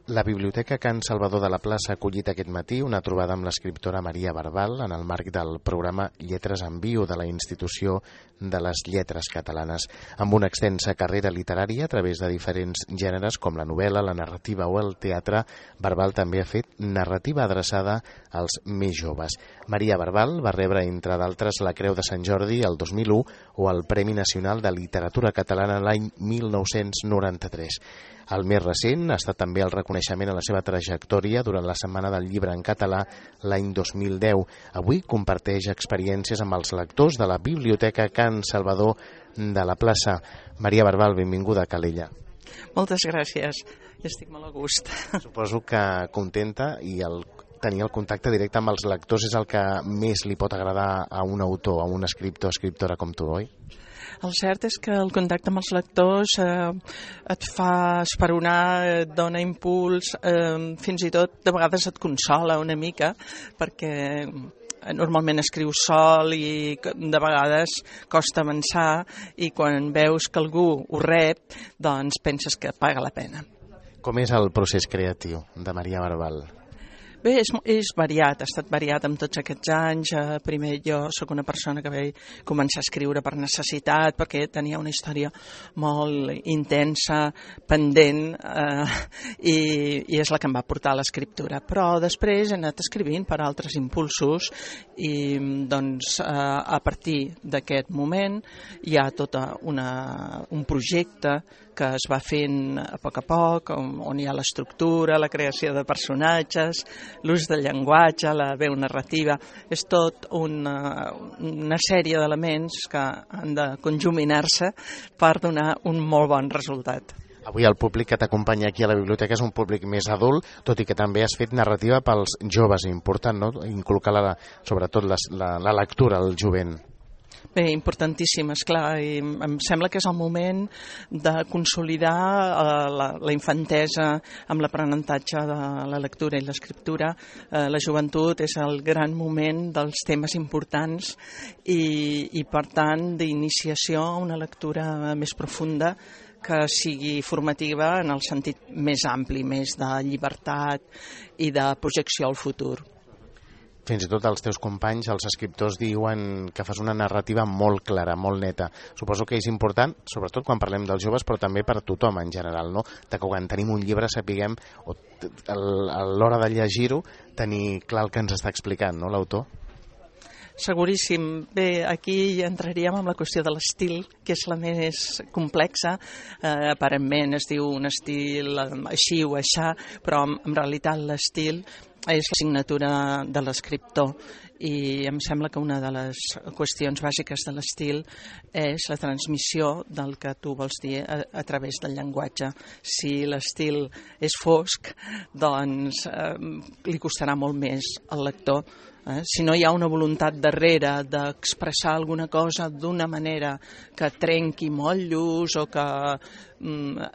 La Biblioteca Can Salvador de la Plaça ha acollit aquest matí una trobada amb l'escriptora Maria Barbal en el marc del programa Lletres en Viu de la Institució de les Lletres Catalanes. Amb una extensa carrera literària a través de diferents gèneres com la novel·la, la narrativa o el teatre, Barbal també ha fet narrativa adreçada als més joves. Maria Barbal va rebre, entre d'altres, la Creu de Sant Jordi el 2001 o el Premi Nacional de Literatura Catalana l'any 1993. El més recent ha estat també el reconeixement a la seva trajectòria durant la Setmana del Llibre en Català l'any 2010. Avui comparteix experiències amb els lectors de la Biblioteca Can Salvador de la Plaça. Maria Barbal, benvinguda a Calella. Moltes gràcies, estic molt a gust. Suposo que contenta i tenir el contacte directe amb els lectors és el que més li pot agradar a un autor, a un escriptor o escriptora com tu, oi? El cert és que el contacte amb els lectors et fa esperonar, et dona impuls, fins i tot de vegades et consola una mica, perquè normalment escrius sol i de vegades costa avançar, i quan veus que algú ho rep, doncs penses que paga la pena. Com és el procés creatiu de Maria Barbal? Bé, és variat, ha estat variat amb tots aquests anys. Primer jo sóc una persona que vaig començar a escriure per necessitat, perquè tenia una història molt intensa, pendent, i és la que em va portar a l'escriptura. Però després he anat escrivint per altres impulsos i doncs a partir d'aquest moment hi ha tot un projecte que es va fent a poc, on hi ha l'estructura, la creació de personatges, l'ús del llenguatge, la veu narrativa. És tot una sèrie d'elements que han de conjuminar-se per donar un molt bon resultat. Avui el públic que t'acompanya aquí a la biblioteca és un públic més adult, tot i que també has fet narrativa pels joves. Important, no?, inculcar sobretot la lectura al jovent. Bé, importantíssim, esclar, i em sembla que és el moment de consolidar la infantesa amb l'aprenentatge de la lectura i l'escriptura. La joventut és el gran moment dels temes importants i per tant, d'iniciació a una lectura més profunda que sigui formativa en el sentit més ampli, més de llibertat i de projecció al futur. Fins i tot els teus companys, els escriptors, diuen que fas una narrativa molt clara, molt neta. Suposo que és important, sobretot quan parlem dels joves, però també per tothom en general, no? Que quan tenim un llibre sapiguem, a l'hora de llegir-ho, tenir clar el que ens està explicant, no, l'autor? Seguríssim. Bé, aquí entraríem en la qüestió de l'estil, que és la més complexa. Aparentment es diu un estil així o aixà, però en realitat l'estil és la signatura de l'escriptor, i em sembla que una de les qüestions bàsiques de l'estil és la transmissió del que tu vols dir a través del llenguatge. Si l'estil és fosc, doncs li costarà molt més al lector. Si no hi ha una voluntat darrere d'expressar alguna cosa d'una manera que trenqui motllos o que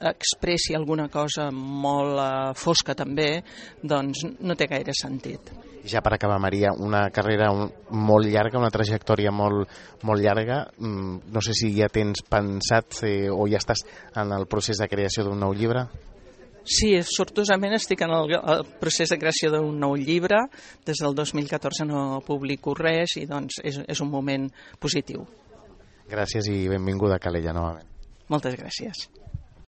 expressi alguna cosa molt fosca també, doncs no té gaire sentit. Ja per acabar, Maria, una carrera molt llarga, una trajectòria molt llarga. No sé si ja tens pensat o ja estàs en el procés de creació d'un nou llibre? Sí, sortosament estic en el procés de creació d'un nou llibre. Des del 2014 no publico res i doncs és un moment positiu. Gràcies i benvinguda a Calella novament. Moltes gràcies.